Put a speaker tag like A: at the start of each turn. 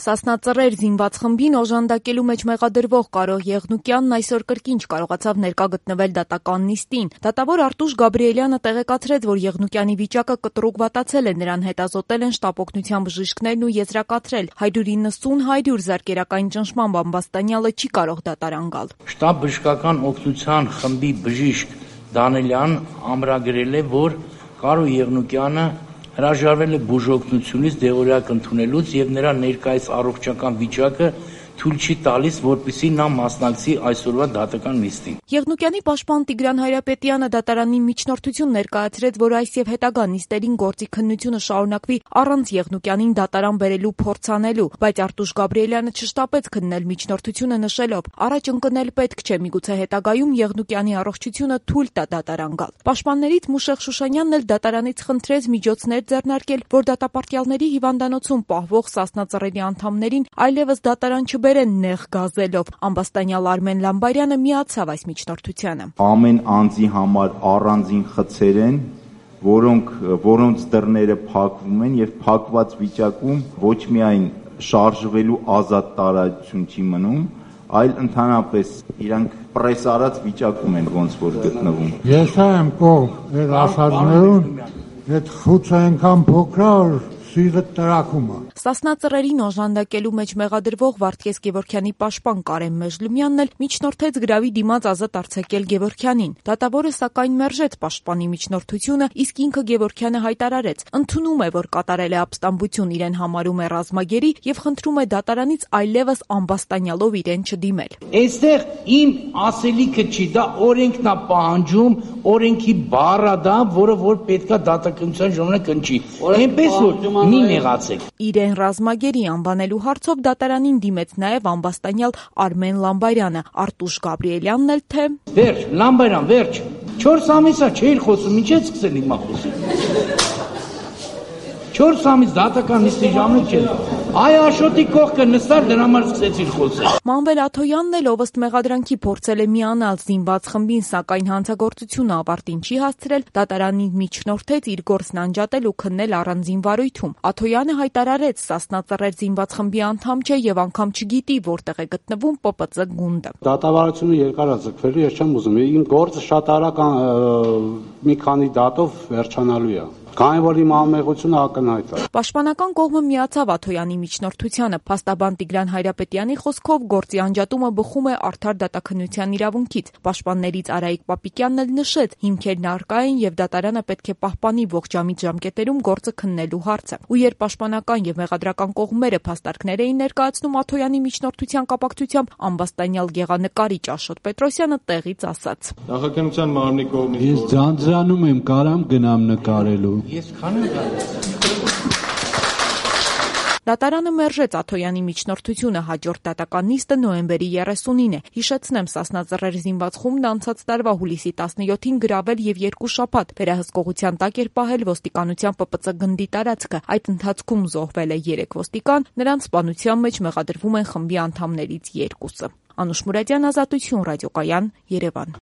A: Սասնա Ծռեր զինված խմբին օժանդակելու մեջ մեղադրվող Կարո Եղնուկյանն այսօր կրկին չկարողացավ ներկա գտնվել դատական նիստին։ Դատավոր Արտուշ Գաբրիելյանը տեղեկացրեց, որ Եղնուկյանի վիճակը կտրուկ վատացել է, նրան հետազոտել են շտապօգնության բժիշկներն ու եզրակացրել 190-100 զարկերակային ճնշմամբ ամբաստանյալը չի կարող դատարան գալ։
B: Շտապ բժշկական օգնության խմբի բժիշկ Դանելյան ամրագրել է, որ Կարո Եղնուկյանը հրաժարվել է բուժօգնությունից դեղորայք ընդունելուց եւ նրա ներկայիս առողջական վիճակը թույլ չի տալիս, որպեսզի նա մասնակցի այսօրվա դատական նիստին։
A: Եղնուկյանի պաշտպան Տիգրան Հայրապետյանը դատարանին միջնորդություն ներկայացրեց, որ այս եւ հետագա նիստերին գործի քննությունը շարունակվի առանց Եղնուկյանին դատարան բերելու փորձ անելու, բայց Արտուշ Գաբրիելյանը չշտապեց քննել միջնորդությունը նշելով. առաջ ընկնել պետք չէ, միգուցե հետագայում Եղնուկյանի առողջությունը թույլ տա դատարան գալ։ Պաշտպաններից Մուշեղ Շուշանյանն էլ դատարանից խնդրեց միջոցներ ձեռնարկել, որ դատապարտյալների հիվանդանոցում պահվող Սասնա Ծռերի անդամներին այլևս դատարան չբերեն նեղ գազելով։ Ամբաստանյալ Արմեն Լամբարյանը միացավ այս միջնորդությանը։
C: Ամեն անձի համար առանձին խցեր են, որոնց դռները փակվում են եւ փակված վիճակում ոչ միայն շարժվելու ազատ տարածություն չի մնում, այլ ընդհանրապես իրանք պրեսարած վիճակում են ոնց որ գտնվում։
D: Ես եմ կողմ այդ ասածներուն, այդ խուցը այնքան փոքր սիրտ տրակում է։
A: Սասնա Ծռերին օժանդակելու մեջ մեղադրվող Վարդգես Գևորգյանի պաշտպան Կարեն Մեժլումյանն էլ միջնորդեց գրավի դիմաց ազատ արձակել Գևորգյանին։ Դատավորը սակայն մերժեց պաշտպանի միջնորդությունը, իսկ ինքը Գևորգյանը հայտարարեց, ընդունում է, որ կատարել է ապստամբություն, իրեն համարում է ռազմագերի եւ խնդրում է դատարանից այլևս ամբաստանյալով իրեն չդիմել։
B: Այստեղ իմ ասելիքը չի, դա օրենքն է պահանջում, օրենքի բառը դա, որը որ պետքա դատականության ժամանակ ընչի։ Այնպես որ մի նեղացեք։
A: Իրեն ռազմագերի անվանելու հարցով դատարանին դիմեց նաև ամբաստանյալ Արմեն Լամբարյանը, Արտուշ Գաբրիելյանն էլ թե
B: Վերջ, Լամբարյան, վերջ։ 4 ամիս է չէր խոսում, ինչ է սկսել հիմա խոսել։ 4 ամիս դատական նիստի ժամանակ չէր։ Այ Աշոտի կողքը նստար դրա համար սկսեցիր խոսել։
A: Մանվել Աթոյանն էլ ով ըստ մեղադրանքի փորձել է միանալ զինված խմբին, սակայն հանցագործությունը ավարտին չի հասցրել, դատարանին միջնորդեց իր գործն անջատել ու քննել առանձին վարույթում։ Աթոյանը հայտարարեց, Սասնա Ծռեր զինված խմբի անդամ չէ եւ անգամ չգիտի որտեղ է գտնվում ՊՊԾ գունդը։
E: Դատավարությունը երկար է ձգվելու, ես չեմ ուզում։ Իմ գործը շատ արագ մի քանի դատով վերջանալու է։ Քանի որ իմ անմեղությունը ակնհայտ է։
A: Պաշտպանական կողմը միացավ Աթոյանի միջնորդությանը։ Փաստաբան Տիգրան Հայրապետյանի խոսքով գործի անջատումը բխում է արդար դատաքննության իրավունքից։ Պաշտպաններից Արայիկ Պապիկյանն էլ նշեց, հիմքերն առկա են եւ դատարանը պետք է պահպանի ողջամիտ ժամկետերում գործը քննելու հարցը։ Ու երբ պաշտպանական եւ մեղադրական կողմերը փաստարկներ էին ներկայացնում Աթոյանի միջնորդության կապակցությամբ, ամբաստանյալ գեղանկարիչ Աշոտ Պետրոսյանը տեղից ասաց.
F: Նախաքննության մարմնի կողմից
E: Ես ձանձրանում եմ, կարամ գնամ նկարելու։
B: Ես քանի
A: Դատարանը մերժեց Աթոյանի միջնորդությունը, հաջորդ դատական նիստը նոյեմբերի 30-ին է։ Հիշեցնեմ, Սասնա Ծռեր զինված խումբն անցած տարվա հուլիսի 17-ին գրավել եւ 2 շաբաթ վերահսկողության տակ էր պահել ոստիկանության ՊՊՑ գնդի տարածքը։ Այդ ընթացքում զոհվել է 3 ոստիկան, նրանց սպանության մեջ մեղադրվում են խմբի անդամներից 2-ը։ Անուշ Մուրադյան, Ազատություն, ռադիոկայան, Երևան։